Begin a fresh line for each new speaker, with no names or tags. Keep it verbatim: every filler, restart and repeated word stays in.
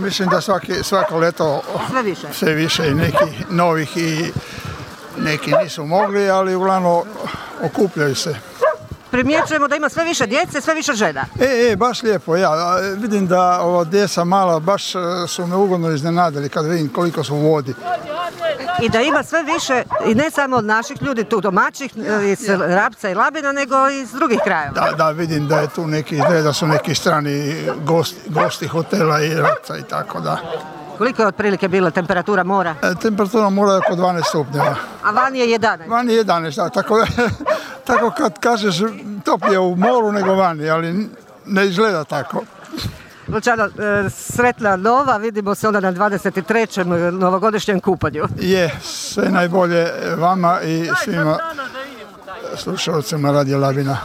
Mislim da svaki, svako leto
sve više.
sve više i neki novih i neki nisu mogli, ali uglavnom okupljaju se.
Primjećujemo da ima sve više djece, sve više žena.
E, e, baš lijepo, ja vidim da ova djeca mala baš su me ugodno iznenadili kad vidim koliko su u vodi.
I da ima sve više, i ne samo od naših ljudi, tu domaćih, iz Rapca i Labina, nego i iz drugih krajeva.
Da, da, vidim da je tu neki, da su neki strani gosti, gosti hotela i Rapca i tako da.
Koliko je otprilike bila temperatura mora?
E, temperatura mora je oko dvanaest stupnjeva.
A vani je jedanaest?
Vani je jedanaest, da, tako, tako kad kažeš toplije u moru nego vani, ali ne izgleda tako.
Luciano, sretna nova, vidimo se onda na dvadeset trećem novogodišnjem kupanju.
Je, sve najbolje vama i svima slušalcima Radio Labina.